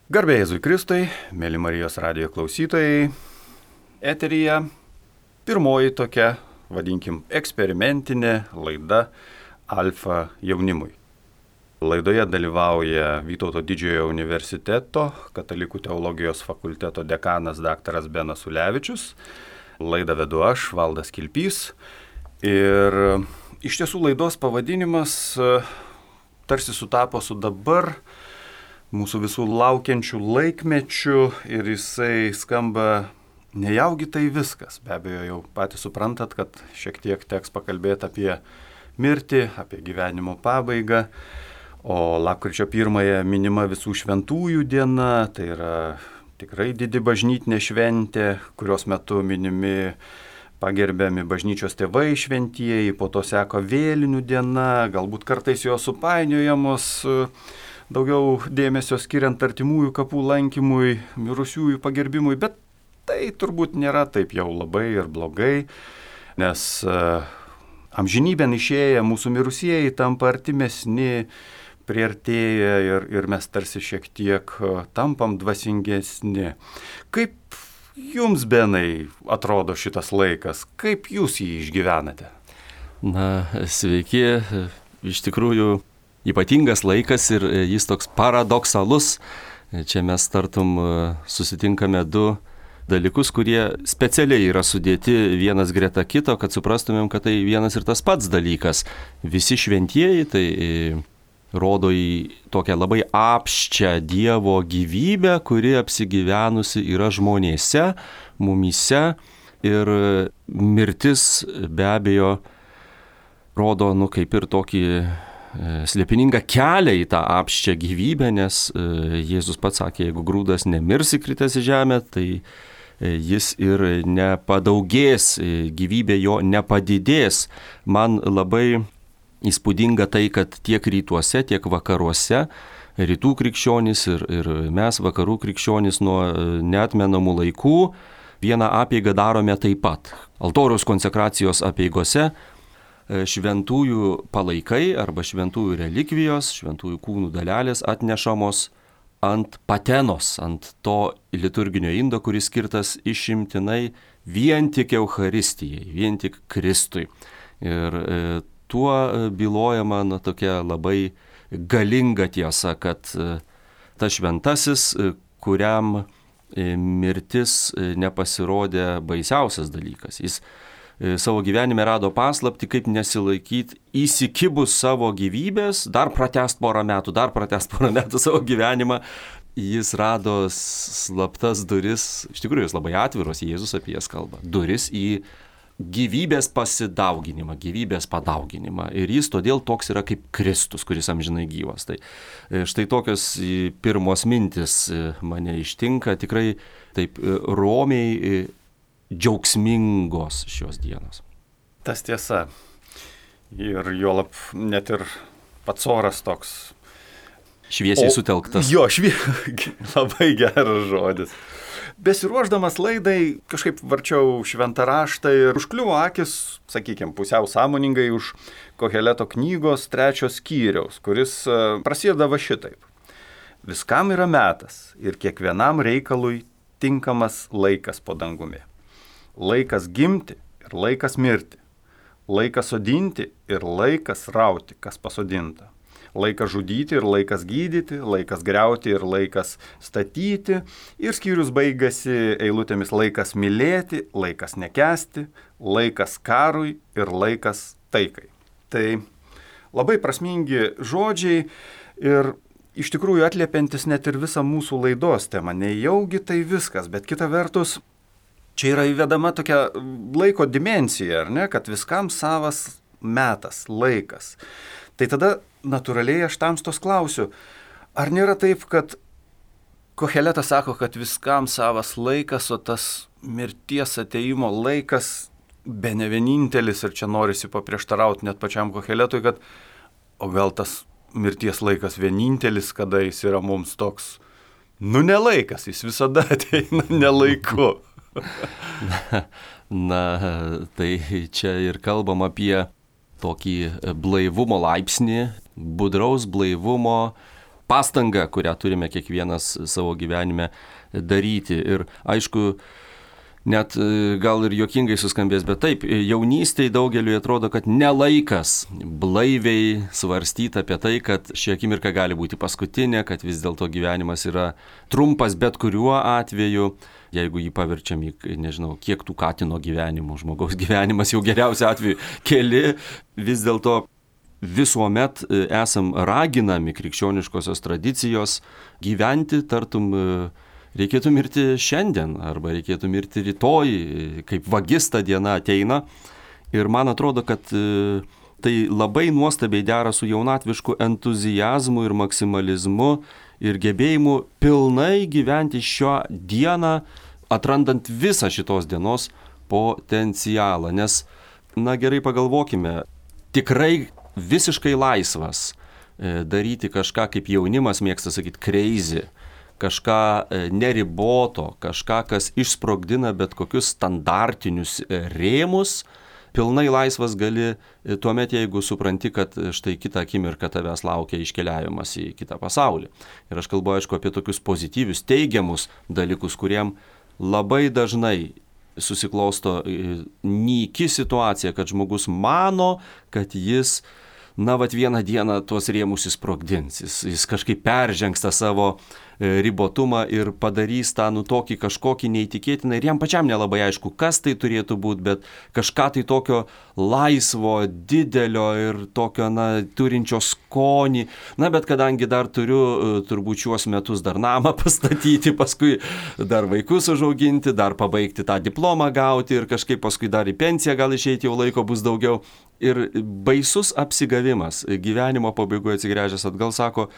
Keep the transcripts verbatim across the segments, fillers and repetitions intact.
Garbė Jėzui Kristui, mėly Marijos radijo klausytojai, eteryje pirmoji tokia, vadinkim, eksperimentinė laida Alfa jaunimui. Laidoje dalyvauja Vytauto Didžiojo universiteto Katalikų teologijos fakulteto dekanas daktaras Benas Ulevičius. Laidą vedu aš, Valdas Kilpys. Ir iš tiesų laidos pavadinimas tarsi sutapo su dabar mūsų visų laukiančių laikmečių ir jisai skamba nejaugi tai viskas. Be abejo, jau patys suprantat, kad šiek tiek teks pakalbėti apie mirtį, apie gyvenimo pabaigą. O lapkričio pirmąją minima visų šventųjų diena, tai yra tikrai didi bažnytinė šventė, kurios metu minimi pagerbiami bažnyčios tėvai šventieji, po to seka vėlinių diena, galbūt kartais jos supainiojamos, daugiau dėmesio skiriant artimųjų kapų lankymui, mirusiųjų pagerbimui, bet tai turbūt nėra taip jau labai ir blogai, nes uh, amžinybėn išėję mūsų mirusieji tampa artimesni, priartėja ir, ir mes tarsi šiek tiek uh, tampam dvasingesni. Kaip jums, Benai, atrodo šitas laikas? Kaip jūs jį išgyvenate? Na, sveiki, iš tikrųjų ypatingas laikas ir jis toks paradoksalus. Čia mes tartum susitinkame du dalykus, kurie specialiai yra sudėti vienas greta kito, kad suprastumėm, kad tai vienas ir tas pats dalykas. Visi šventieji tai rodo į tokią labai apščią Dievo gyvybę, kuri apsigyvenusi yra žmonėse, mumyse, ir mirtis be abejo rodo, nu, kaip ir tokį slėpiningą kelią į tą apščią gyvybę, nes Jėzus pats sakė, jeigu grūdas nemirs įkritęs į žemę, tai jis ir nepadaugės, gyvybė jo nepadidės. Man labai įspūdinga tai, kad tiek rytuose, tiek vakaruose, rytų krikščionys ir, ir mes vakarų krikščionys nuo neatmenamų laikų vieną apeigą darome taip pat. Altoriaus konsekracijos apeigose šventųjų palaikai arba šventųjų relikvijos, šventųjų kūnų dalelės atnešamos ant patenos, ant to liturginio indo, kuris skirtas išimtinai vien tik Eucharistijai, vien tik Kristui. Ir e, tuo bylojama na, tokia labai galinga tiesa, kad e, tas šventasis, e, kuriam e, mirtis e, nepasirodė baisiausias dalykas. Jis savo gyvenime rado paslaptį, kaip nesilaikyti įsikibus savo gyvybės, dar pratęst porą metų, dar pratęst porą metų savo gyvenimą. Jis rado slaptas duris, iš tikrųjų jis labai atviros, Jėzus apie jas kalba, duris į gyvybės pasidauginimą, gyvybės padauginimą. Ir jis todėl toks yra kaip Kristus, kuris amžinai gyvas. Tai štai tokios pirmos mintis mane ištinka, tikrai taip romiai džiaugsmingos šios dienos. Tas tiesa. Ir juolab net ir pats oras toks. Šviesiai o, sutelktas. Jo, švie... labai geras žodis. Besiruošdamas laidai kažkaip varčiau šventą raštą ir užkliuvo akis, sakykime, pusiau sąmoningai už Koheleto knygos trečios skyriaus, kuris prasideda va šitaip. Viskam yra metas ir kiekvienam reikalui tinkamas laikas po dangumi. Laikas gimti ir laikas mirti, laikas sodinti ir laikas rauti, kas pasodinta, laikas žudyti ir laikas gydyti, laikas griauti ir laikas statyti, ir skyrius baigasi eilutėmis laikas mylėti, laikas nekęsti, laikas karui ir laikas taikai. Tai labai prasmingi žodžiai ir iš tikrųjų atliepiantis net ir visą mūsų laidos temą. Nejaugi tai viskas, bet kita vertus, čia yra įvedama tokia laiko dimensija, ar ne, kad viskam savas metas, laikas. Tai tada natūraliai aš tamstos klausiu, ar nėra taip, kad Koheletas sako, kad viskam savas laikas, o tas mirties ateimo laikas bene vienintelis, ir čia norisi paprieštarauti net pačiam Koheletui, kad o gal tas mirties laikas vienintelis, kada jis yra mums toks, nu nelaikas, jis visada ateina nelaiku. Na, na, tai čia ir kalbam apie tokį blaivumo laipsnį, budraus blaivumo pastanga, kurią turime kiekvienas savo gyvenime daryti. Ir aišku, net gal ir juokingai suskambės, bet taip, jaunystėje daugeliui atrodo, kad nelaikas blaiviai svarstyti apie tai, kad ši akimirka gali būti paskutinė, kad vis dėlto gyvenimas yra trumpas bet kuriuo atveju. Jeigu jį paverčiam į, nežinau, kiek tų katino gyvenimų, žmogaus gyvenimas jau geriausiu atveju keli, vis dėlto visuomet esam raginami krikščioniškosios tradicijos gyventi, tartum reikėtų mirti šiandien arba reikėtų mirti rytoj, kaip vagis ta diena ateina. Ir man atrodo, kad tai labai nuostabiai dera su jaunatvišku entuziazmu ir maksimalizmu ir gebėjimu pilnai gyventi šią dieną, atrandant visą šitos dienos potencialą. Nes, na gerai pagalvokime, tikrai visiškai laisvas daryti kažką, kaip jaunimas mėgsta sakyti, crazy, kažką neriboto, kažką, kas išsprogdina bet kokius standartinius rėmus, pilnai laisvas gali tuomet, jeigu supranti, kad štai kitą akimirką tavęs laukia iškeliavimas į kitą pasaulį. Ir aš kalbu, aišku, apie tokius pozityvius, teigiamus dalykus, kuriem labai dažnai susiklosto nyki situacija, kad žmogus mano, kad jis, na, vat vieną dieną tuos rėmus įsprogdins, jis, jis kažkaip peržengs tą savo ribotumą ir padarys tą nu tokį kažkokį neįtikėtiną ir jam pačiam nelabai aišku, kas tai turėtų būti, bet kažką tai tokio laisvo, didelio ir tokio, na, turinčio skonį. Na, bet kadangi dar turiu turbūt šiuos metus dar namą pastatyti, paskui dar vaikus užauginti, dar pabaigti tą diplomą gauti ir kažkaip paskui dar į pensiją gal išeiti, jau laiko bus daugiau. Ir baisus apsigavimas gyvenimo pabaigoje atsigręžęs atgal sako,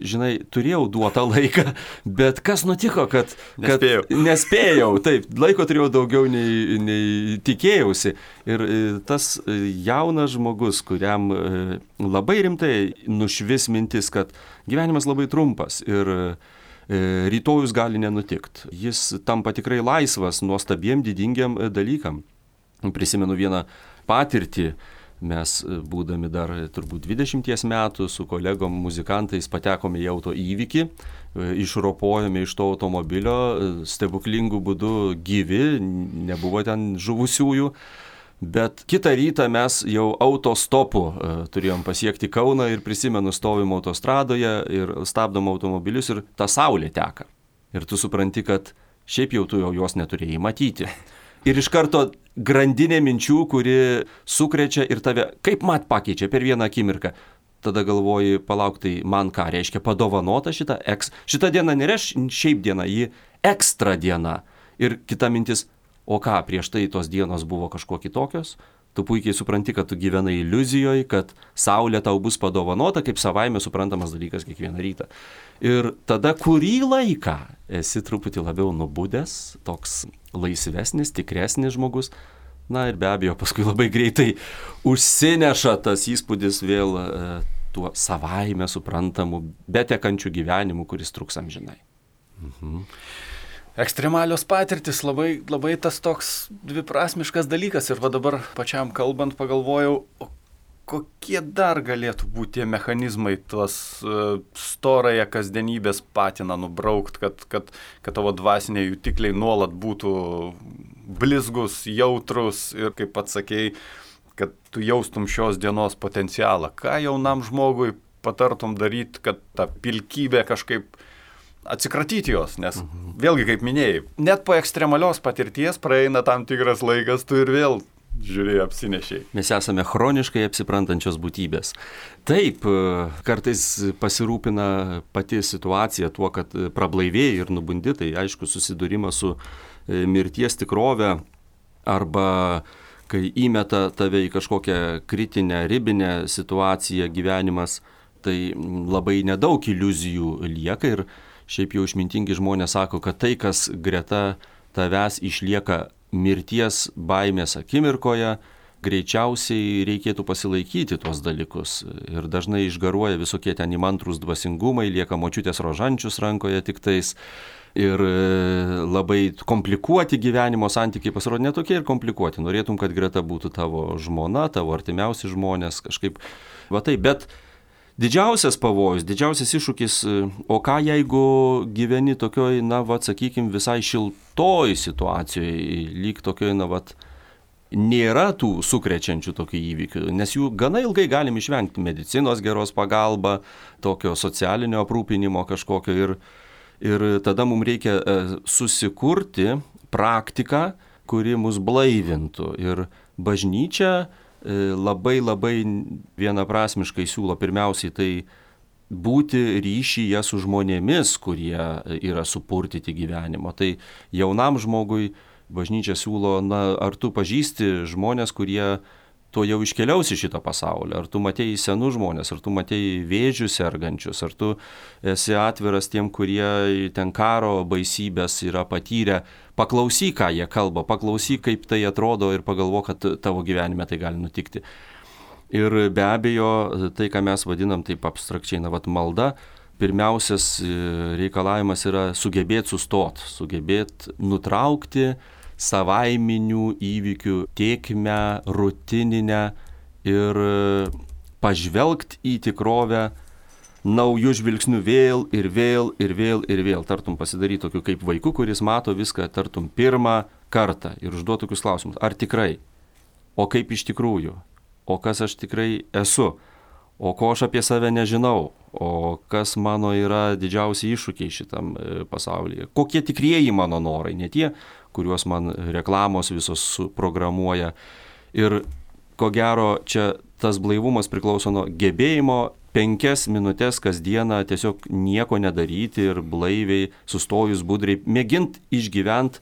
žinai, turėjau duotą laiką, bet kas nutiko, kad, kad nespėjau. nespėjau, taip, laiko turėjau daugiau nei, nei tikėjausi. Ir tas jaunas žmogus, kuriam labai rimtai nušvis mintis, kad gyvenimas labai trumpas ir rytojus gali nenutikti. Jis tampa tikrai laisvas nuostabiem, didingiam dalykam. Prisimenu vieną patirtį. Mes, būdami dar turbūt dvidešimties metų, su kolegom muzikantais patekome į auto įvykį, išropojome iš to automobilio, stebuklingų būdų gyvi, nebuvo ten žuvusiųjų, bet kitą rytą mes jau autostopu turėjom pasiekti Kauną ir prisimenu, stovim autostradoje ir stabdom automobilius ir ta saulė teka. Ir tu supranti, kad šiaip jau tu jau jos neturėjai matyti. Ir iš karto grandinė minčių, kuri sukrečia ir tave kaip mat pakeičia per vieną akimirką. Tada galvoji, palauk, tai man ką reiškia padovanota šita eks. Šita diena nereiškia šiaip diena, ji ekstra diena. Ir kita mintis, o ką, prieš tai tos dienos buvo kažkuo kitokios? Tu puikiai supranti, kad tu gyvenai iliuzijoje, kad saulė tau bus padovanota kaip savaime suprantamas dalykas kiekvieną rytą. Ir tada kurį laiką esi truputį labiau nubudęs, toks laisvesnis, tikresnis žmogus. Na ir be abejo, paskui labai greitai užsineša tas įspūdis vėl e, tuo savaime suprantamu, betekančiu gyvenimu, kuris truks amžinai. Mhm. Ekstremalios patirtis, labai, labai tas toks dviprasmiškas dalykas. Ir va dabar pačiam kalbant pagalvojau, o kokie dar galėtų būti tie mechanizmai, tuos uh, storąją kasdienybės patiną nubraukt, kad, kad, kad tavo dvasiniai jutikliai nuolat būtų blizgus, jautrus ir, kaip pats sakei, kad tu jaustum šios dienos potencialą. Ką jaunam žmogui patartum daryti, kad ta pilkybė kažkaip atsikratyti jos, nes mhm. vėlgi, kaip minėjai, net po ekstremalios patirties praeina tam tikras laikas, tu ir vėl žiūrėjai, apsinešiai. Mes esame chroniškai apsiprantančios būtybės. Taip, kartais pasirūpina pati situacija tuo, kad prablaivėjai ir nubundi, tai aišku susidūrimas su mirties tikrove arba kai įmeta tave į kažkokią kritinę, ribinę situaciją gyvenimas, tai labai nedaug iliuzijų lieka ir šiaip jau išmintingi žmonės sako, kad tai, kas greta tavęs išlieka mirties baimės akimirkoje, greičiausiai reikėtų pasilaikyti tuos dalykus. Ir dažnai išgaruoja visokie ten įmantrūs dvasingumai, lieka močiutės rožančius rankoje tiktais. Ir labai komplikuoti gyvenimo santykiai pasirodė netokie ir komplikuoti. Norėtum, kad greta būtų tavo žmona, tavo artimiausi žmonės, kažkaip va taip, bet didžiausias pavojus, didžiausias iššūkis, o ką jeigu gyveni tokioj, na, va, sakykime, visai šiltoj situacijoje, lyg tokioj, na, va, nėra tų sukrečiančių tokių įvykių, nes jų gana ilgai galim išvengti, medicinos geros pagalba, tokio socialinio aprūpinimo kažkokio ir, ir tada mums reikia susikurti praktiką, kuri mus blaivintų. Ir bažnyčia labai labai vienaprasmiškai siūlo pirmiausiai tai būti ryšyje su žmonėmis, kurie yra supurtyti gyvenimo. Tai jaunam žmogui bažnyčia siūlo, na, ar tu pažįsti žmonės, kurie to jau iškeliaus iš šito pasaulio, ar tu matėjai senus žmonės, ar tu matėjai vėžių sergančius, ar tu esi atviras tiem, kurie ten karo baisybės yra patyrę, paklausyk, ką jie kalba, paklausyk, kaip tai atrodo ir pagalvok, kad tavo gyvenime tai gali nutikti. Ir be abejo, tai, ką mes vadinam taip abstrakčiai, na, vat malda, pirmiausias reikalavimas yra sugebėti sustot, sugebėti nutraukti savaiminių įvykių tėkmę, rutininę ir pažvelgti į tikrovę naujų žvilgsnių vėl ir vėl ir vėl ir vėl. Tartum pasidaryti tokiu kaip vaiku, kuris mato viską tartum pirmą kartą ir užduoti tokius klausimus. Ar tikrai? O kaip iš tikrųjų? O kas aš tikrai esu? O ko aš apie save nežinau? O kas mano yra didžiausi iššūkiai šitam pasaulyje? Kokie tikrieji mano norai? Ne tie, kuriuos man reklamos visos programuoja. Ir ko gero, čia tas blaivumas priklauso nuo gebėjimo penkias minutės kasdieną tiesiog nieko nedaryti ir blaiviai, sustojus budriai, mėgint išgyvent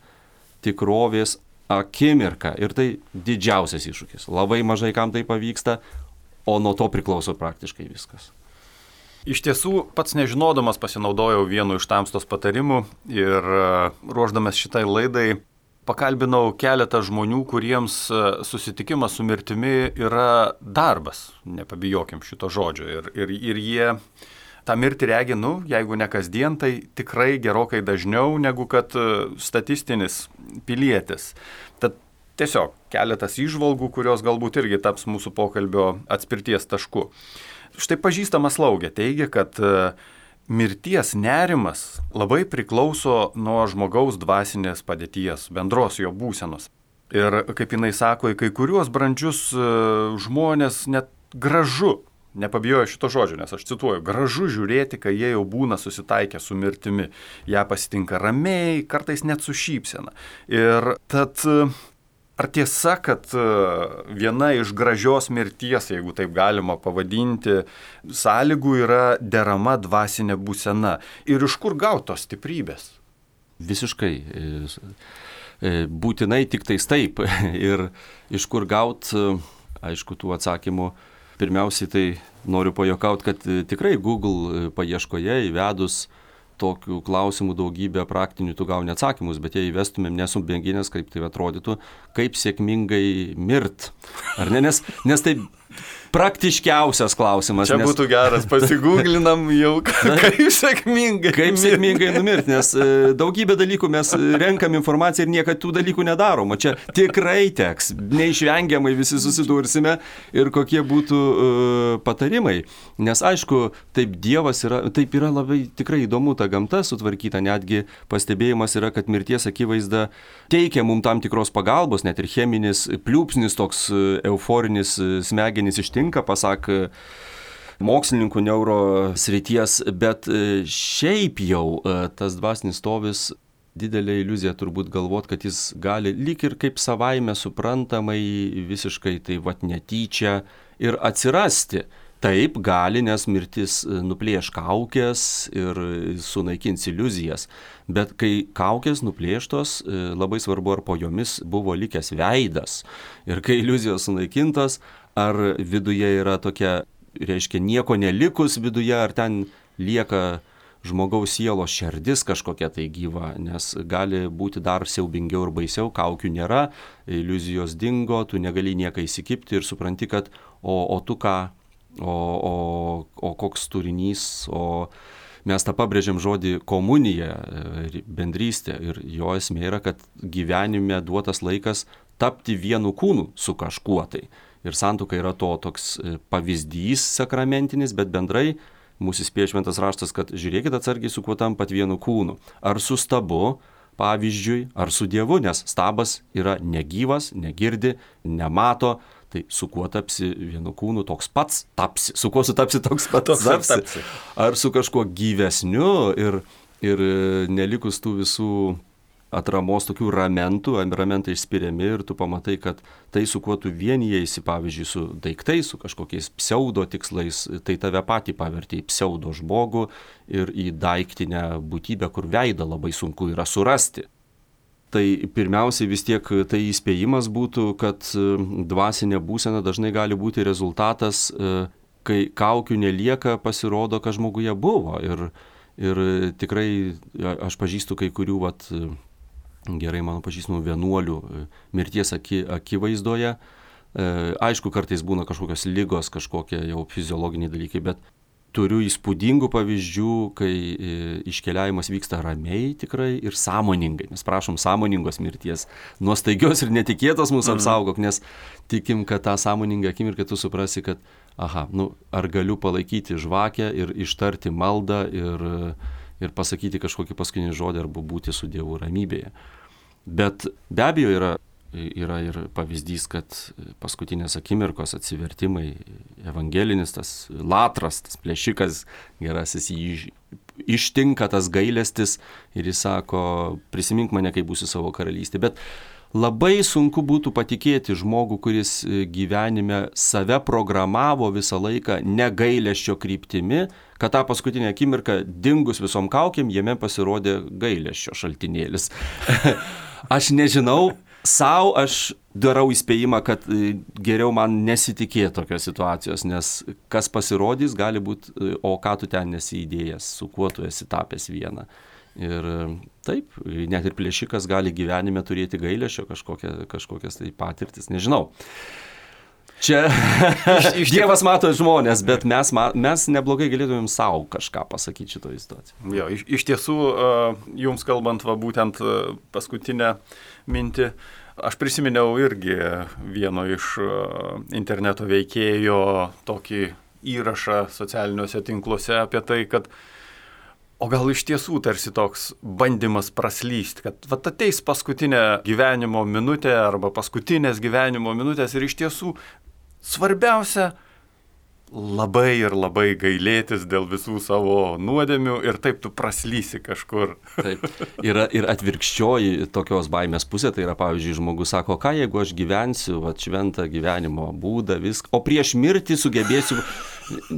tikrovės akimirką. Ir tai didžiausias iššūkis. Labai mažai kam tai pavyksta, o nuo to priklauso praktiškai viskas. Iš tiesų, pats nežinodamas pasinaudojau vienu iš tamstos patarimų ir ruošdamas šitai laidai pakalbinau keletą žmonių, kuriems susitikimas su mirtimi yra darbas, nepabijokim šito žodžio. Ir, ir, ir jie tą mirtį regi, nu, jeigu ne kasdien, tai tikrai gerokai dažniau negu kad statistinis pilietis. Tad tiesiog keletas įžvalgų, kurios galbūt irgi taps mūsų pokalbio atspirties tašku. Štai pažįstama slaugė teigia, kad mirties nerimas labai priklauso nuo žmogaus dvasinės padėties, bendros jo būsenos. Ir kaip jinai sako, į kai kuriuos brandžius žmonės net gražu, nepabijoju šito žodžio, nes aš cituoju, gražu žiūrėti, kai jie jau būna susitaikę su mirtimi. Ją pasitinka ramiai, kartais net su šypsena. Ir tad ar tiesa, kad viena iš gražios mirties, jeigu taip galima pavadinti, sąlygų yra derama dvasinė būsena? Ir iš kur gautos stiprybės? Visiškai. Būtinai tik tais taip. Ir iš kur gaut, aišku, tų atsakymų. Pirmiausiai tai noriu pajuokauti, kad tikrai Google paieškoje įvedus tokių klausimų daugybę praktinių tu gauni atsakymus, bet jei įvestumėm, nesu mėginęs, kaip tai atrodytų, kaip sėkmingai mirt. Ar ne? Nes, nes tai praktiškiausias klausimas. Čia nes... būtų geras, pasigūglinam jau, kaip sėkmingai. Kaip sėkmingai numirti, nes daugybę dalykų mes renkam informaciją ir niekad tų dalykų nedarom. O čia tikrai teks, neišvengiamai visi susidursime ir kokie būtų uh, patarimai. Nes aišku, taip Dievas yra, taip yra labai tikrai įdomu ta gamta sutvarkyta, netgi pastebėjimas yra, kad mirties akivaizda teikia mums tam tikros pagalbos, net ir cheminis pliūpsnis toks euforinis smegenis ištinka, pasak mokslininkų neuro srities, bet šiaip jau tas dvasinis stovis didelė iliuzija turbūt galvot, kad jis gali lyg ir kaip savaime suprantamai visiškai tai vat netyčia ir atsirasti. Taip gali, nes mirtis nuplėš kaukės ir sunaikins iliuzijas. Bet kai kaukės nuplėštos, labai svarbu, ar po jomis buvo likęs veidas. Ir kai iliuzijos sunaikintos, ar viduje yra tokia, reiškia, nieko nelikus viduje, ar ten lieka žmogaus sielos šerdis kažkokia tai gyva, nes gali būti dar siaubingiau ir baisiau, kaukių nėra, iliuzijos dingo, tu negali nieką įsikibti ir supranti, kad o, o tu ką, o, o, o koks turinys, o mes tą pabrėžiam žodį komunija, bendrystė ir jo esmė yra, kad gyvenime duotas laikas tapti vienu kūnu su kažkuo tai. ir santuoka yra to toks pavyzdys sakramentinis, bet bendrai mūsų įspėja šventas raštas, kad žiūrėkit atsargiai, su kuo tampat vienu kūnu. Ar su stabu, pavyzdžiui, ar su Dievu, nes stabas yra negyvas, negirdi, nemato, tai su kuo tapsi vienu kūnu, toks pats tapsi. Su kuo sutapsi, toks pats toks tapsi. tapsi. Ar su kažkuo gyvesniu ir, ir nelikus tų visų atramos tokių ramentų, ramentai išspiriami ir tu pamatai, kad tai, su kuo tu vienijasi, pavyzdžiui, su daiktais, su kažkokiais pseudo tikslais, tai tave patį pavertė į pseudo žmogų ir į daiktinę būtybę, kur veidą labai sunku yra surasti. Tai pirmiausiai vis tiek tai įspėjimas būtų, kad dvasinė būsena dažnai gali būti rezultatas, kai kaukių nelieka, pasirodo, kad žmoguje buvo. Ir, ir tikrai aš pažįstu kai kurių, vat, gerai mano pažįstamų vienuolių mirties aki, akivaizdoje. Aišku, kartais būna kažkokios ligos, kažkokie jau fiziologiniai dalykai, bet turiu įspūdingų pavyzdžių, kai iškeliavimas vyksta ramiai tikrai ir sąmoningai. Mes prašom sąmoningos mirties. Nuo staigios ir netikėtos mūsų apsaugok, nes tikim, kad tą sąmoningą akimirką tu suprasi, kad aha, nu, ar galiu palaikyti žvakę ir ištarti maldą ir, ir pasakyti kažkokį paskutinį žodį arba būti su Dievu ramybėje. Bet be abejo yra Yra ir pavyzdys, kad paskutinės akimirkos atsivertimai, evangelinis tas latras, tas plėšikas gerasis, jį ištinka tas gailestis ir jis sako, prisimink mane, kai būsi savo karalystė. Bet labai sunku būtų patikėti žmogų, kuris gyvenime save programavo visą laiką negailesčio kryptimi, kad tą paskutinę akimirką dingus visom kaukėm, jame pasirodė gailesčio šaltinėlis. Aš nežinau, sau aš darau įspėjimą, kad geriau man nesitikėti tokios situacijos, nes kas pasirodys, gali būti, o ką tu ten nesi įdėjęs, su kuo tu esi tapęs vieną. Ir taip, net ir plėšikas gali gyvenime turėti gailesčio kažkokia, kažkokias tai patirtis, nežinau. Čia iš, iš Dievas mato žmonės, bet mes, mes neblogai galėtumėm savo kažką pasakyti šitoje situacijoje. Jo, iš, iš tiesų, jums kalbant, va, būtent paskutinę mintį, aš prisiminiau irgi vieno iš interneto veikėjo tokį įrašą socialiniuose tinkluose apie tai, kad o gal iš tiesų tarsi toks bandymas praslysti, kad va, ateis paskutinė gyvenimo minutė arba paskutinės gyvenimo minutės ir iš tiesų svarbiausia labai ir labai gailėtis dėl visų savo nuodėmių ir taip tu praslysi kažkur. Taip. Yra ir atvirkščioji tokios baimės pusė, tai yra, pavyzdžiui, žmogus sako, ką jeigu aš gyvensiu, va, šventą gyvenimo būdą, viską, o prieš mirtį sugebėsiu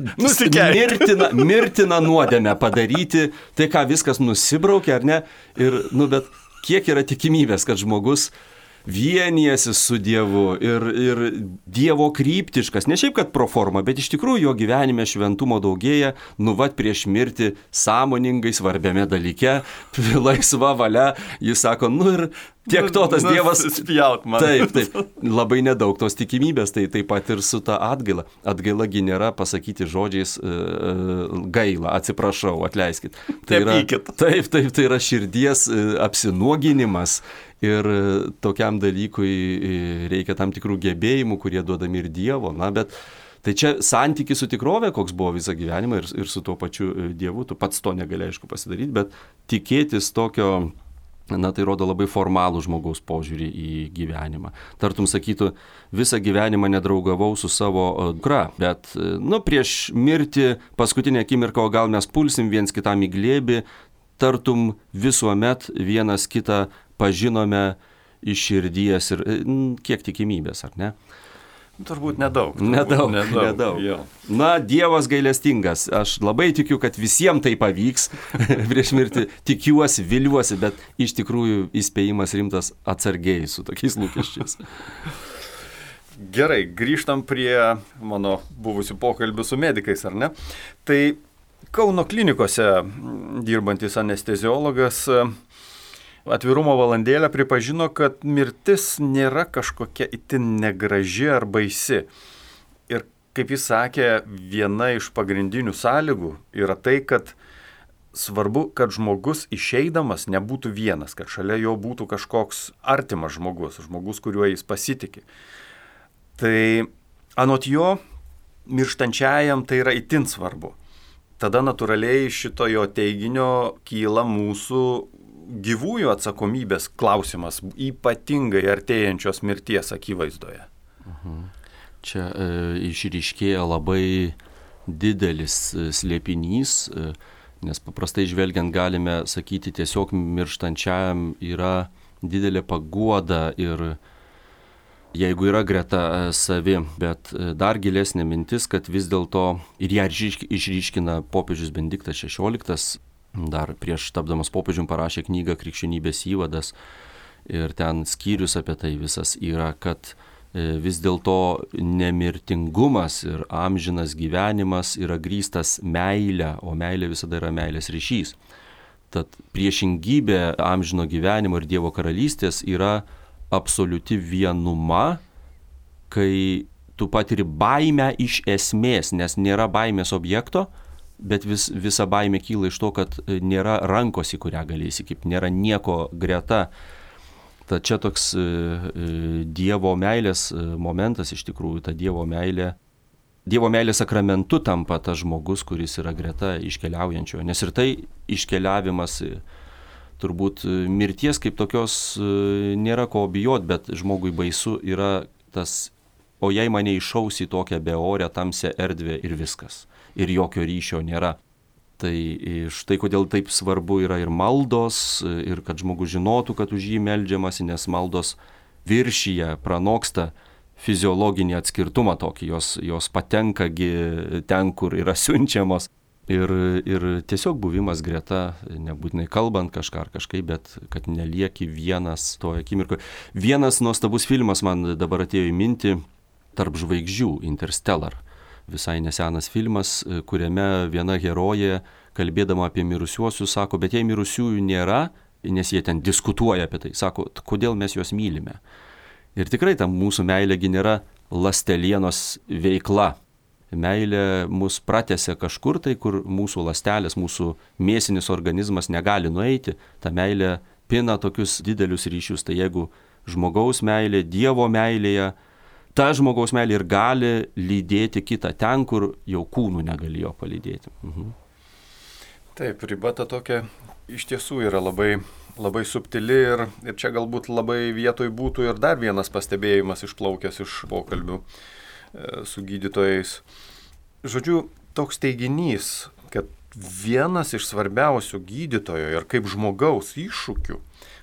mirtiną, mirtiną nuodėmę padaryti, tai ką viskas nusibraukia, ar ne? Ir, nu, bet kiek yra tikimybės, kad žmogus vienijasi su Dievu ir, ir Dievo kryptiškas, ne šiaip kad pro formą, bet iš tikrųjų jo gyvenime šventumo daugėja, nu vat prieš mirtį sąmoningai svarbiame dalyke, laisva valia, jis sako, nu ir tiek to tas Dievas spjaut man. Taip, taip, labai nedaug tos tikimybės, tai taip pat ir su ta atgaila. Atgaila gi nėra pasakyti žodžiais uh, gaila, atsiprašau, atleiskit. Tai yra, taip, taip, tai yra širdies uh, apsinuoginimas. Ir tokiam dalykui reikia tam tikrų gebėjimų, kurie duodami ir Dievo. Na, bet tai čia santykis su tikrove, koks buvo visą gyvenimą ir, ir su tuo pačiu Dievu. Tu pats to negali, aišku, pasidaryti, bet tikėtis tokio, na, tai rodo labai formalų žmogaus požiūrį į gyvenimą. Tartum sakytų, visą gyvenimą nedraugavau su savo dukra, bet, nu, prieš mirtį paskutinę akimirką, o gal mes pulsim viens kitam į glėbį, tartum visuomet vienas kitą pažinome iš širdies ir kiek tikimybės, ar ne? Turbūt nedaug. Turbūt nedaug, nedaug. nedaug. Na, Dievas gailestingas. Aš labai tikiu, kad visiems tai pavyks prieš mirtį. Tikiuosi, viliuosi, bet iš tikrųjų įspėjimas rimtas atsargiai su tokiais lūkesčiais. Gerai, grįžtam prie mano buvusių pokalbių su medikais, ar ne? Tai Kauno klinikose dirbantis anesteziologas Atvirumo valandėlę pripažino, kad mirtis nėra kažkokia itin negraži ar baisi. Ir kaip jis sakė, viena iš pagrindinių sąlygų yra tai, kad svarbu, kad žmogus išeidamas nebūtų vienas, kad šalia jo būtų kažkoks artimas žmogus, žmogus, kuriuo jis pasitikė. Tai Anot jo, mirštančiajam tai yra itin svarbu. Tada natūraliai šito jo teiginio kyla mūsų gyvųjų atsakomybės klausimas, ypatingai artėjančios mirties akivaizdoje. Mhm. Čia e, išryškėja labai didelis slėpinys, e, nes paprastai žvelgiant galime sakyti, tiesiog mirštančiajam yra didelė paguoda ir jeigu yra greta savi, bet dar gilesnė mintis, kad vis dėlto ir ją išryškina popiežius Benediktas šešioliktas, dar prieš tapdamas popiežium parašė knygą Krikščionybės įvadas ir ten skyrius apie tai visas yra, kad vis dėlto nemirtingumas ir amžinas gyvenimas yra grįstas meilė, o meilė visada yra meilės ryšys. Tad priešingybė amžino gyvenimo ir Dievo karalystės yra absoliuti vienuma, kai tu patiri baimę iš esmės, nes nėra baimės objekto, bet vis, visa baimė kyla iš to, kad nėra rankos, į kurią gali įsikibti, nėra nieko greta. Tad čia toks e, Dievo meilės momentas iš tikrųjų, ta Dievo meilė. Dievo meilės sakramentu tampa tas žmogus, kuris yra greta iškeliaujančio, nes ir tai iškeliavimas turbūt mirties kaip tokios nėra ko bijot, bet žmogui baisu yra tas, o jei mane iššaus į tokią beorę, tamsią erdvę ir viskas, ir jokio ryšio nėra. Tai štai kodėl taip svarbu yra ir maldos, ir kad žmogus žinotų, kad už jį meldžiamasi, nes maldos viršyje, pranoksta fiziologinį atskirtumą tokį, jos, jos patenkagi ten, kur yra siunčiamos. Ir, ir tiesiog buvimas greta, nebūtinai kalbant kažką ar kažkaip, bet kad nelieki vienas toje akimirkoje. Vienas nuostabus filmas man dabar atėjo į mintį, Tarp žvaigždžių, Interstellar. Visai nesenas filmas, kuriame viena herojė, kalbėdama apie mirusiuosius, sako, bet jei mirusiųjų nėra, nes jie ten diskutuoja apie tai, sako, kodėl mes juos mylime. Ir tikrai tam mūsų meilėgi nėra ląstelienos veikla. Meilė mus pratęsia kažkur tai, kur mūsų ląstelės, mūsų mėsinis organizmas negali nueiti. Ta meilė pina tokius didelius ryšius. Tai jeigu žmogaus meilė, Dievo meilėje, ta žmogaus meilė ir gali lydėti kitą ten, kur jau kūnų negalėjo palydėti. Mhm. Taip, riba ta tokia iš tiesų yra labai, labai subtili ir, ir čia galbūt labai vietoj būtų ir dar vienas pastebėjimas išplaukęs iš pokalbių su gydytojais. Žodžiu, toks teiginys, kad vienas iš svarbiausių gydytojo ir kaip žmogaus iššūkių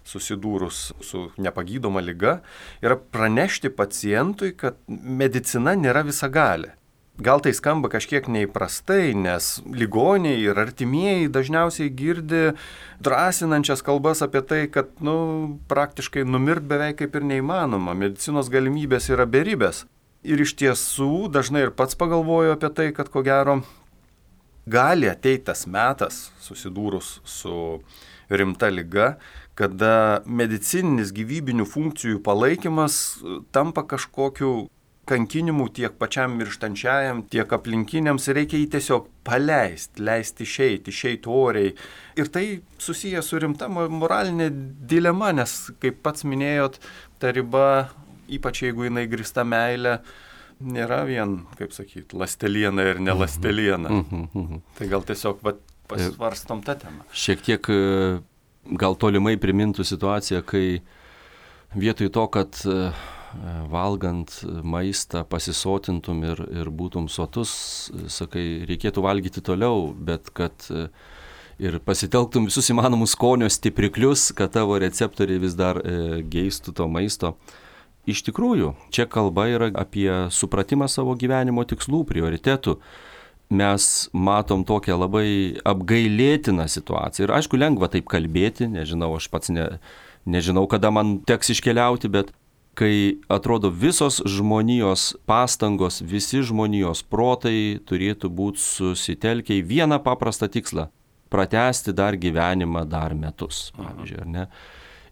susidūrus su nepagydoma liga yra pranešti pacientui, kad medicina nėra visagalė. Gal tai skamba kažkiek neįprastai, nes ligoniai ir artimieji dažniausiai girdi drąsinančias kalbas apie tai, kad nu, praktiškai numirt beveik kaip ir neįmanoma, medicinos galimybės yra beribės. Ir iš tiesų dažnai ir pats pagalvoju apie tai, kad ko gero gali ateiti tas metas, susidūrus su rimta liga, kada medicininis gyvybinių funkcijų palaikymas tampa kažkokiu kankinimu tiek pačiam mirštančiajam, tiek aplinkiniams, reikia jį tiesiog paleisti, leisti išeiti, išeiti oriai. Ir tai susiję su rimta moralinė dilema, nes, kaip pats minėjot, ta riba, ypač jeigu jinai grįsta meilė, nėra vien, kaip sakyti, ląsteliena ir ne ląsteliena. Mm-hmm, mm-hmm. Tai gal tiesiog va, pasvarstom tą temą. Šiek tiek gal tolimai primintų situaciją, kai vietoj to, kad valgant maistą pasisotintum ir, ir būtum sotus, sakai, reikėtų valgyti toliau, bet kad ir pasitelktum visus įmanomus skonio stipriklius, kad tavo receptoriai vis dar e, geistų to maisto. Iš tikrųjų, čia kalba yra apie supratimą savo gyvenimo tikslų, prioritetų. Mes matom tokią labai apgailėtiną situaciją. Ir aišku, lengva taip kalbėti, nežinau, aš pats ne, nežinau, kada man teks iškeliauti, bet kai atrodo visos žmonijos pastangos, visi žmonijos protai turėtų būti susitelkę į vieną paprastą tikslą – pratęsti dar gyvenimą dar metus, pavyzdžiui, ar ne?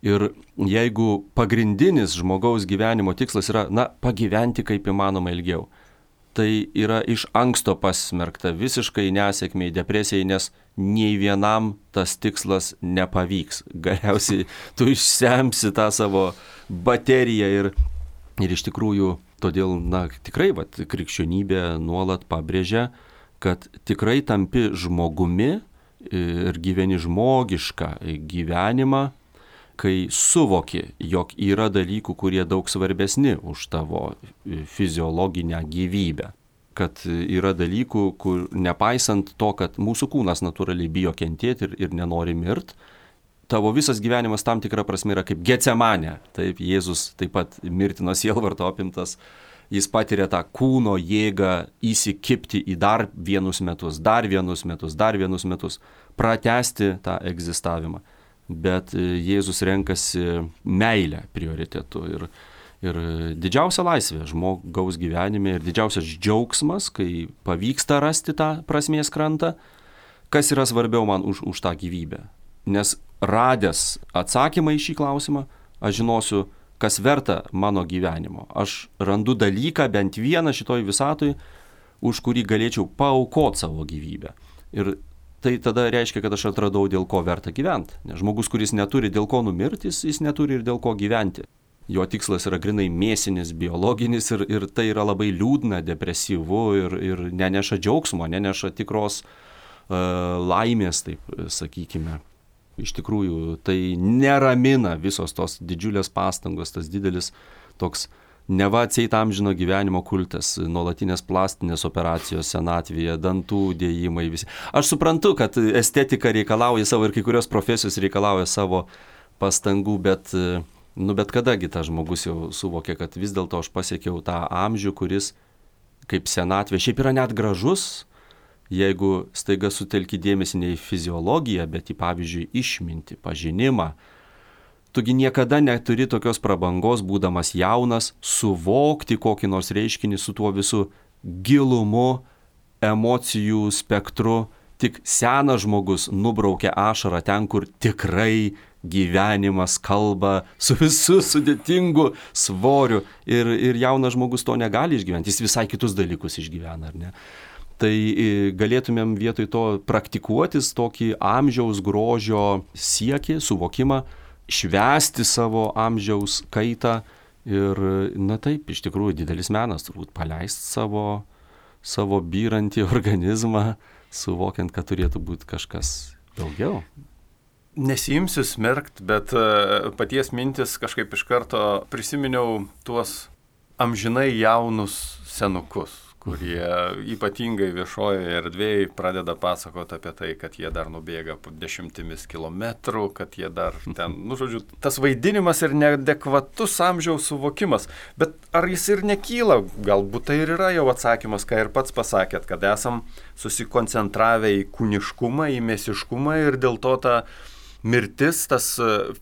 Ir jeigu pagrindinis žmogaus gyvenimo tikslas yra, na, pagyventi kaip įmanoma ilgiau, tai yra iš anksto pasmerkta visiškai nesėkmiai, depresijai, nes nei vienam tas tikslas nepavyks. Galiausiai tu išsemsi tą savo bateriją ir, ir iš tikrųjų Todėl, na, tikrai, vat, krikščionybė nuolat pabrėžia, kad tikrai tampi žmogumi ir gyveni žmogišką gyvenimą, kai suvoki, jog yra dalykų, kurie daug svarbesni už tavo fiziologinę gyvybę. Kad yra dalykų, kur nepaisant to, kad mūsų kūnas natūraliai bijo kentėti ir, ir nenori mirt, tavo visas gyvenimas tam tikra prasme yra kaip Getsemanė. Taip, Jėzus taip pat mirtino sielvarto apimtas, jis patiria tą kūno jėgą įsikibti į dar vienus metus, dar vienus metus, dar vienus metus, pratęsti tą egzistavimą. Bet Jėzus renkasi meilę prioritetu ir, ir didžiausia laisvė žmogaus gyvenime ir didžiausias džiaugsmas, kai pavyksta rasti tą prasmės krantą, kas yra svarbiau man už, už tą gyvybę. Nes radęs atsakymą į šį klausimą, aš žinosiu, kas verta mano gyvenimo. Aš randu dalyką, bent vieną šitoj visatoj, už kurį galėčiau paaukoti savo gyvybę. Ir tai tada reiškia, kad aš atradau, dėl ko verta gyventi. Nes žmogus, kuris neturi dėl ko numirti, jis, jis neturi ir dėl ko gyventi. Jo tikslas yra grinai mėsinis, biologinis ir, ir tai yra labai liūdna, depresyvu ir, ir neneša džiaugsmo, neneša tikros uh, laimės, taip sakykime. Iš tikrųjų, tai neramina visos tos didžiulės pastangos, tas didelis toks neva atseit amžino gyvenimo kultas, nuolatinės plastinės operacijos senatvėje, dantų dėjimai visi. Aš suprantu, kad estetika reikalauja savo ir kai kurios profesijos reikalauja savo pastangų, bet, nu, bet kadagi tas žmogus jau suvokė, kad vis dėlto aš pasiekiau tą amžių, kuris kaip senatvė šiaip yra net gražus, jeigu staiga sutelki dėmesį ne į fiziologiją, bet į, pavyzdžiui, išmintį, pažinimą. Tugi niekada neturi tokios prabangos, būdamas jaunas, suvokti kokį nors reiškinį su tuo visu gilumu, emocijų spektru. Tik senas žmogus nubraukia ašarą ten, kur tikrai gyvenimas kalba su visu sudėtingu svoriu. Ir, ir jaunas žmogus to negali išgyventi, jis visai kitus dalykus išgyvena, ar ne? Tai galėtumėm vietoj to praktikuotis tokį amžiaus grožio siekį, suvokimą, švęsti savo amžiaus kaitą ir, na taip, iš tikrųjų didelis menas turbūt paleisti savo, savo byrantį organizmą, suvokiant, kad turėtų būti kažkas daugiau. Nesiimsiu smerkt, bet paties mintis kažkaip iš karto prisiminiau tuos amžinai jaunus senukus, kurie ypatingai viešojoje erdvėje pradeda pasakoti apie tai, kad jie dar nubėga dešimtimis kilometrų, kad jie dar ten, nu žodžiu, tas vaidinimas ir neadekvatus amžiaus suvokimas. Bet ar jis ir nekyla? Galbūt tai ir yra jau atsakymas, ką ir pats pasakėt, kad esam susikoncentravę į kūniškumą, į mėsiškumą ir dėl to ta mirtis, tas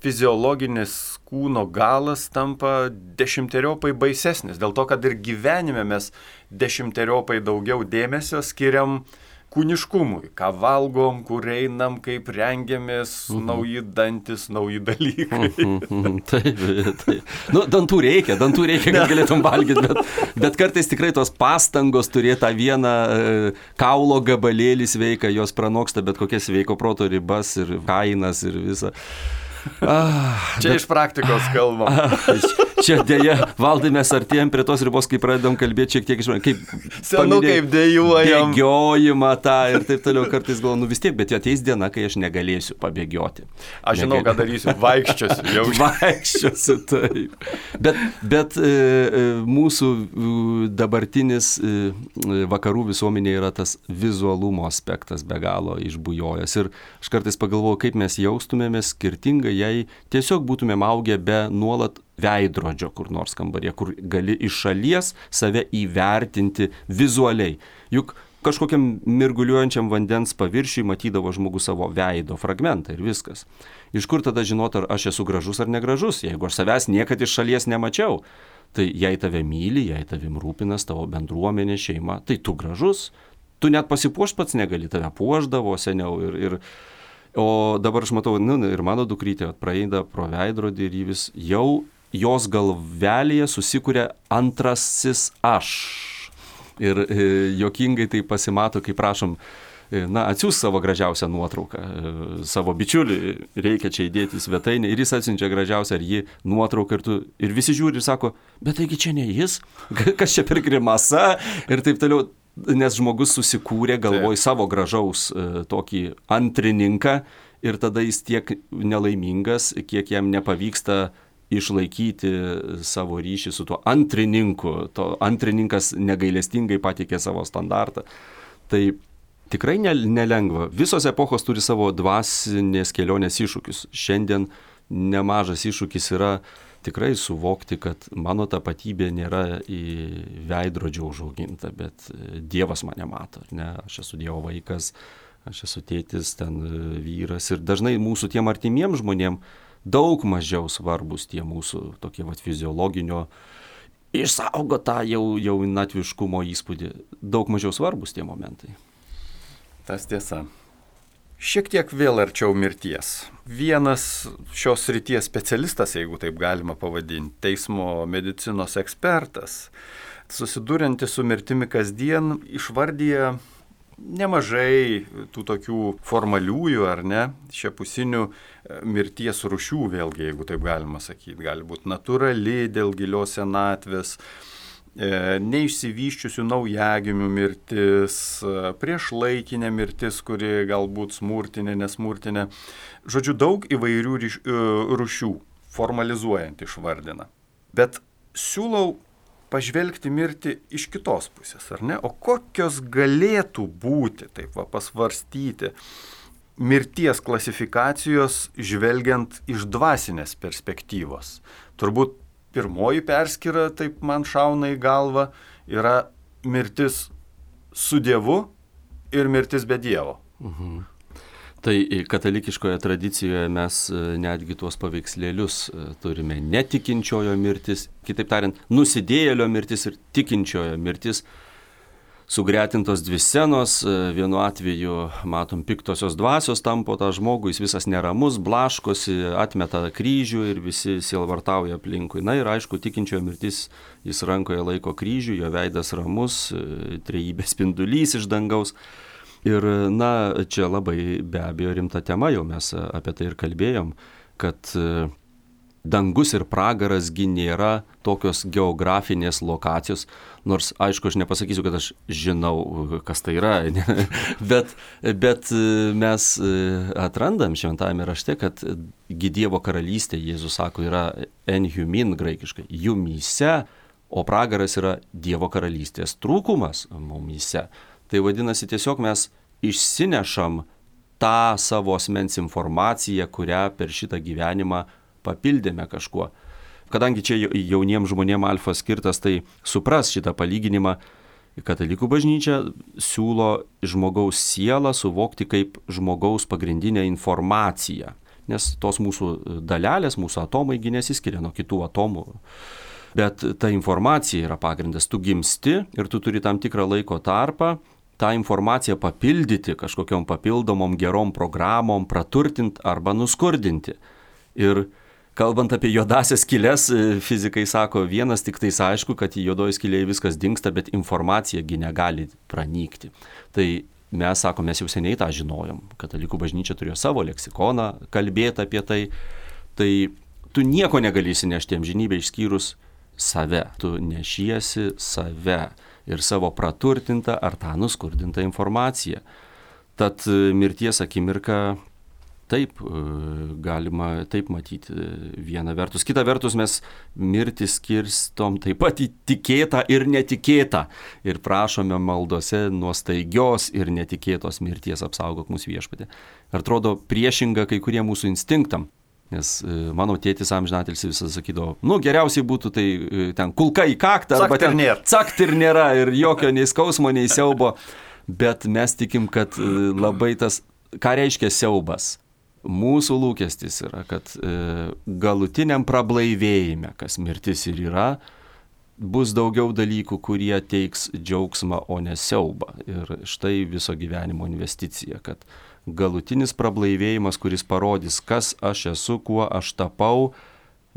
fiziologinis kūno galas tampa dešimteriopai baisesnis. Dėl to, kad ir gyvenime mes dešimteriopai daugiau dėmesio skiriam kūniškumui. Ką valgom, kur einam, kaip rengiamės, uh-huh. nauji dantis, nauji dalykai. Uh-huh. Taip, taip. Nu, dantų reikia, dantų reikia, kad galėtum valgyti, bet, bet kartais tikrai tos pastangos turėti tą vieną e, kaulo gabalėlį sveiką, jos pranoksta bet kokias sveiko proto ribas ir kainas ir visą. Ah, čia bet, iš praktikos kalbam. Ah, čia dėja, Valdai, mes artėjom prie tos ribos, kai pradedam kalbėti šiek tiek iš manęs, kaip senu, kaip dėjuojam. Bėgiojimą tą ir taip toliau, kartais galvoju, nu vis tiek, bet ateis diena, kai aš negalėsiu pabėgioti. Aš žinau, Negali... ką darysiu, vaikščiosiu jau. Vaikščiosiu, taip. Bet, bet e, mūsų dabartinis e, vakarų visuomenė yra tas vizualumo aspektas be galo išbujojęs. Ir aš kartais pagalvoju, kaip mes jaustumėmės skirtingai, jei tiesiog būtumėm augę be nuolat veidrodžio kur nors kambaryje, kur gali iš šalies save įvertinti vizualiai. Juk kažkokiam mirguliuojančiam vandens paviršiui matydavo žmogus savo veido fragmentą ir viskas. Iš kur tada žinot, ar aš esu gražus ar negražus, jeigu aš savęs niekad iš šalies nemačiau? Tai jei tave myli, jei tavim rūpinas tavo bendruomenė, šeima, tai tu gražus. Tu net pasipuošt pats negali, tave puošdavo seniau ir... ir O dabar aš matau, nu, ir mano dukrytė praeina pro veidrodį ir vis jau jos galvelėje susikuria antrasis aš. Ir e, jokingai tai pasimato, kai prašom na, atsiųs savo gražiausią nuotrauką, savo bičiulį, reikia čia įdėti svetainę ir jis atsiunčia gražiausią ar jį nuotrauką ir, tu, ir visi žiūri ir sako, bet taigi čia ne jis, kas čia per grimasa ir taip toliau, nes žmogus susikūrė galvoj savo gražaus tokį antrininką ir tada jis tiek nelaimingas, kiek jam nepavyksta išlaikyti savo ryšį su tuo antrininku, to antrininkas negailestingai pateikė savo standartą. Tai tikrai nelengva. Visos epochos turi savo dvasinės kelionės iššūkius. Šiandien nemažas iššūkis yra tikrai suvokti, kad mano tapatybė nėra į veidrodžio užauginta, bet Dievas mane mato. Ne? Aš esu Dievo vaikas, aš esu tėtis, ten vyras. Ir dažnai mūsų tiem artimiem žmonėm daug mažiau svarbus tie mūsų tokie vat fiziologinio išsaugo tą jau, jau natviškumo įspūdį. Daug mažiau svarbus tie momentai. Tas tiesa. Šiek tiek vėl arčiau mirties. Vienas šios srities specialistas, jeigu taip galima pavadinti, teismo medicinos ekspertas, susiduriantis su mirtimi kasdien, išvardyja nemažai tų tokių formaliųjų ar ne, šiapusinių mirties rūšių, vėlgi, jeigu taip galima sakyti. Gali būti natūrali dėl gilios senatvės, e, neišsivyščiusių naujagimių mirtis, priešlaikinė mirtis, kuri galbūt smurtinė, nesmurtinė. Žodžiu, daug įvairių ryš, rūšių, formalizuojant išvardina. Bet siūlau pažvelgti mirtį iš kitos pusės, ar ne? O kokios galėtų būti, taip va, pasvarstyti, mirties klasifikacijos žvelgiant iš dvasinės perspektyvos? Turbūt pirmoji perskyra, taip man šauna į galvą, yra mirtis su Dievu ir mirtis be Dievo. Mhm. Tai katalikiškoje tradicijoje mes netgi tuos paveikslėlius turime netikinčiojo mirtis, kitaip tariant, nusidėjėlio mirtis ir tikinčiojo mirtis. Sugretintos dvi scenos, vienu atveju matom piktosios dvasios tampo tą žmogų, jis visas neramus, blaškosi, atmeta kryžių ir visi sielvartauja aplinkui. Na ir aišku, tikinčiojo mirtis, jis rankoje laiko kryžių, jo veidas ramus, trejybės spindulys iš dangaus. Ir, na, čia labai be abejo rimta tema, jau mes apie tai ir kalbėjom, kad dangus ir pragaras gi nėra tokios geografinės lokacijos, nors, aišku, aš nepasakysiu, kad aš žinau, kas tai yra, bet, bet mes atrandam šventajame rašte, kad gi Dievo karalystė, Jėzus sako, yra en humin graikiškai, jumyse, o pragaras yra Dievo karalystės trūkumas mumyse. Tai vadinasi, tiesiog mes išsinešam tą savo asmens informaciją, kurią per šitą gyvenimą papildėme kažkuo. Kadangi čia jauniems žmonėms alfa skirtas, tai supras šitą palyginimą, katalikų bažnyčia siūlo žmogaus sielą suvokti kaip žmogaus pagrindinę informaciją. Nes tos mūsų dalelės, mūsų atomai gi nesiskiria nuo kitų atomų. Bet ta informacija yra pagrindas. Tu gimsti ir tu turi tam tikrą laiko tarpą tą informaciją papildyti kažkokiom papildomom gerom programom, praturtinti arba nuskurdinti. Ir kalbant apie juodasias skyles, fizikai sako, vienas tik tais aišku, kad į juodoji skylėje viskas dingsta, bet informacija gi negali pranykti. Tai mes sakom, mes jau seniai tą žinojom. Katalikų bažnyčia turėjo savo leksikoną kalbėti apie tai. Tai tu nieko negali įsinešti amžinybę išskyrus save. Tu nešiesi save ir savo praturtintą ar tą nuskurdintą informaciją. Tad mirties akimirka taip galima taip matyti viena vertus. Kita vertus mes mirtį skirstom taip pat į tikėtą ir netikėtą. Ir prašome maldose nuo staigios ir netikėtos mirties apsaugok mūsų viešpatį. Ir atrodo priešinga kai kurie mūsų instinktam. Nes mano tėtis amžinatilsį visą sakydavo, nu geriausiai būtų tai ten kulka į kaktą, arba ten cakt ir nėra ir jokio nei skausmo, nei siaubo. Bet mes tikim, kad labai tas, ką reiškia siaubas. Mūsų lūkestis yra, kad galutiniam prablaivėjime, kas mirtis ir yra, bus daugiau dalykų, kurie teiks džiaugsmą, o ne siaubą. Ir štai viso gyvenimo investicija, kad galutinis prablaivėjimas, kuris parodys, kas aš esu, kuo aš tapau.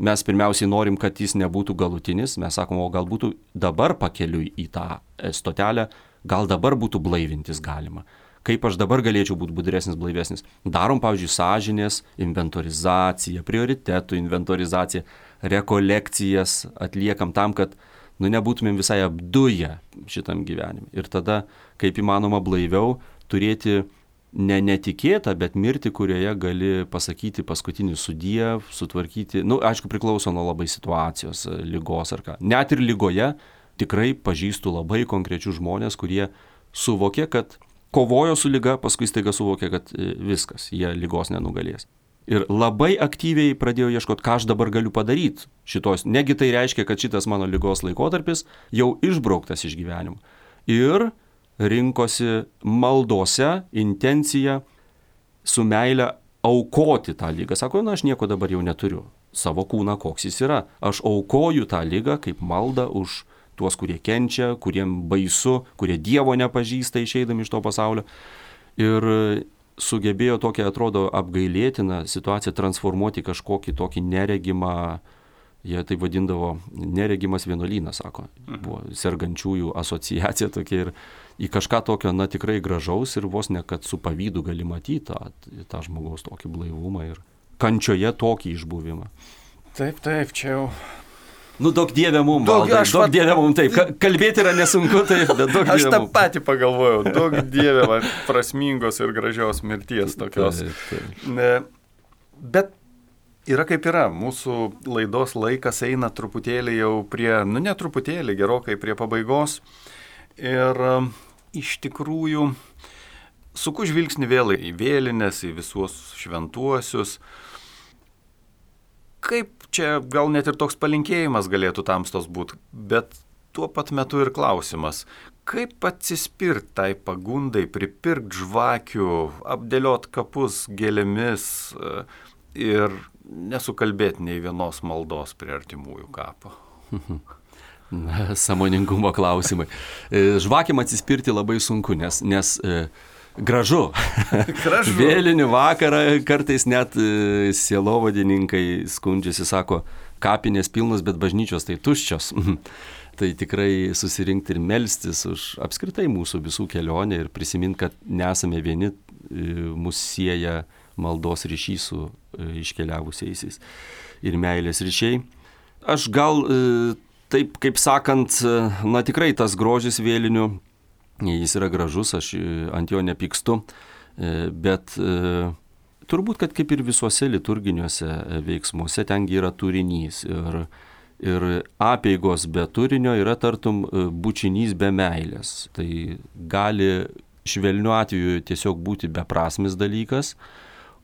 Mes pirmiausiai norim, kad jis nebūtų galutinis. Mes sakom, o gal būtų dabar pakeliui į tą stotelę, gal dabar būtų blaivintis galima. kaip aš dabar galėčiau būti budresnis, blaivesnis. Darom, pavyzdžiui, sąžinės inventorizaciją, prioritetų inventorizaciją, rekolekcijas atliekam tam, kad nu, nebūtumėm visai apduję šitam gyvenime. Ir tada, kaip įmanoma blaiviau, turėti ne netikėtą, bet mirtį, kurioje gali pasakyti paskutinį sudie, sutvarkyti, nu, aišku, priklauso nuo labai situacijos, ligos ar ką. Net ir ligoje tikrai pažįstu labai konkrečius žmonės, kurie suvokė, kad kovojo su liga, paskui staiga suvokė, kad viskas, jie ligos nenugalės. Ir labai aktyviai pradėjau ieškoti, ką aš dabar galiu padaryti šitos. Negi tai reiškia, kad šitas mano ligos laikotarpis jau išbrauktas iš gyvenimo. Ir rinkosi maldose intenciją su meile aukoti tą ligą. Sako, na, aš nieko dabar jau neturiu. Savo kūną, koks jis yra. Aš aukoju tą ligą kaip maldą už tuos, kurie kenčia, kuriem baisu, kurie Dievo nepažįsta išeidami iš to pasaulio. Ir sugebėjo tokią, atrodo, apgailėtiną situaciją transformuoti kažkokį tokį neregimą, jie tai vadindavo neregimas vienuolynas, sako. Buvo sergančiųjų asociacija tokia ir į kažką tokio, na, tikrai gražaus ir vos ne, kad su pavydu gali matyti tą, tą žmogaus tokį blaivumą ir kančioje tokį išbuvimą. Taip, taip, čia jau... Nu, daug dievė mum, Valdai, daug pat... dievė mum, taip, kalbėti yra nesunku, taip, bet daug dievė mum. Aš tą patį pagalvojau, daug dievė man prasmingos ir gražios mirties tokios. Taip, taip. Ne, bet yra kaip yra, mūsų laidos laikas eina truputėlį jau prie, nu ne truputėlį, gerokai prie pabaigos. Ir um, iš tikrųjų suku žvilgsnį vėl į vėlines, į visus šventuosius. Kaip čia gal net ir toks palinkėjimas galėtų tamstos būti, bet tuo pat metu ir klausimas, kaip atsispirt tai pagundai, pripirkt žvakių, apdėliot kapus gėlėmis ir nesukalbėti nei vienos maldos prie artimųjų kapo. Na, sąmoningumo klausimai. Žvakėm atsispirti labai sunku, nes... nes Gražu. Gražu. Vėlinių vakarą kartais net sielovadininkai skundžiasi, sako, kapinės pilnos, bet bažnyčios tai tuščios. Tai tikrai susirinkti ir melstis už apskritai mūsų visų kelionę ir prisiminti, kad nesame vieni, mus sieja maldos ryšys su iškeliavusiaisiais ir meilės ryšiai. Aš gal taip, kaip sakant, na tikrai tas grožis vėlinių, jis yra gražus, aš ant jo nepykstu, bet turbūt, kad kaip ir visuose liturginiuose veiksmuose, tengi yra turinys. Ir, ir apeigos be turinio yra tartum bučinys be meilės. Tai gali švelniu atveju tiesiog būti beprasmis dalykas,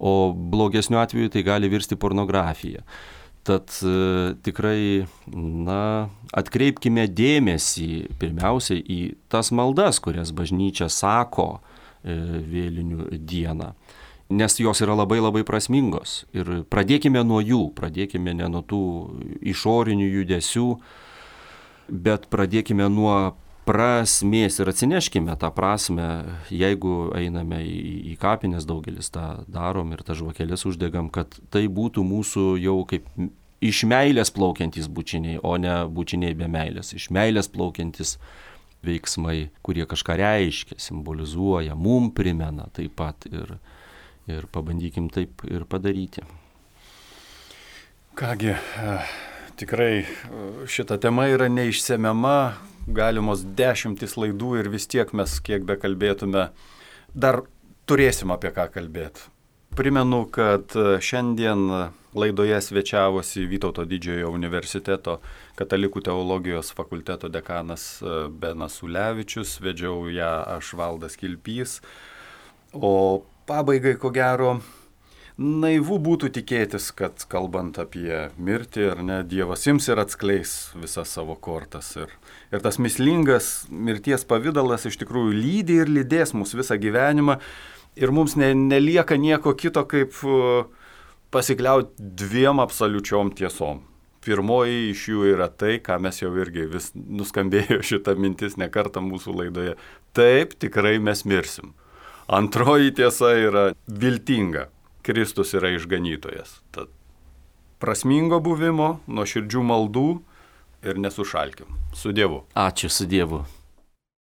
o blogesniu atveju tai gali virsti pornografija. Tad e, tikrai, na, atkreipkime dėmesį pirmiausiai į tas maldas, kurias bažnyčia sako e, vėlinių dieną, nes jos yra labai labai prasmingos. Ir pradėkime nuo jų, pradėkime ne nuo tų išorinių judesių, bet pradėkime nuo prasmės ir atsineškime tą prasmę, jeigu einame į, į kapines, daugelis tą darom ir tą žvakeles uždegam, kad tai būtų mūsų jau kaip iš meilės plaukiantys bučiniai, o ne bučiniai be meilės, iš meilės plaukiantys veiksmai, kurie kažką reiškia, simbolizuoja, mum primena taip pat ir, ir pabandykim taip ir padaryti. Kągi, tikrai šita tema yra neišsemiama, galimos dešimtis laidų ir vis tiek mes, kiek bekalbėtume, dar turėsim apie ką kalbėti. Primenu, kad šiandien laidoje svečiavosi Vytauto Didžiojo universiteto katalikų teologijos fakulteto dekanas Benas Ulevičius, vedžiau ją aš, Valdas Kilpys, o pabaigai, ko gero, naivu būtų tikėtis, kad kalbant apie mirtį, ar ne, Dievas ims ir atskleis visas savo kortas. Ir, ir tas mįslingas mirties pavidalas iš tikrųjų lydi ir lydės mus visą gyvenimą. Ir mums ne, nelieka nieko kito, kaip pasikliauti dviem absoliučiom tiesom. Pirmoji iš jų yra tai, ką mes jau irgi vis nuskambėjo šitą mintis ne kartą mūsų laidoje. Taip, tikrai mes mirsim. Antroji tiesa yra viltinga. Kristus yra išganytojas. Tad prasmingo buvimo, nuoširdžių maldų ir nesušalkim. Su Dievu. Ačiū, su Dievu.